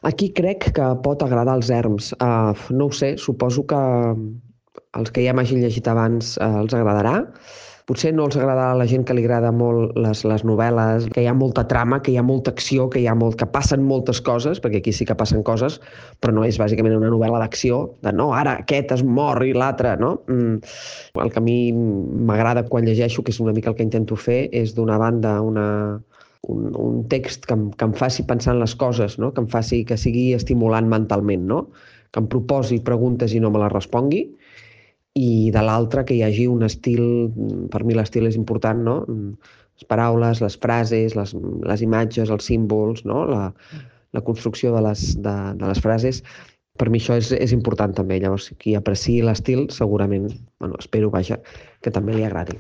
Aquí crec que pot agradar als erms. No ho sé, suposo que els que ja m'hagin llegit abans els agradarà. Potser no els agradarà a la gent que li agrada molt les novel·les, que hi ha molta trama, que hi ha molta acció, que passen moltes coses, perquè aquí sí que passen coses, però no és bàsicament una novel·la d'acció, de no, ara aquest es mor i l'altre, no? El que a mi m'agrada quan llegeixo, que és una mica el que intento fer, és d'una banda un text que em faci pensar en les coses, no? Que em faci que sigui estimulant mentalment, no? Que em proposi preguntes i no me les respongui, i de l'altra que hi hagi un estil, per mi l'estil és important, no? Les paraules, les frases, les imatges, els símbols, no? La construcció de les frases, per mi això és important també. Llavors, qui apreciï l'estil, segurament, bueno, espero, vaja, que també li agradi.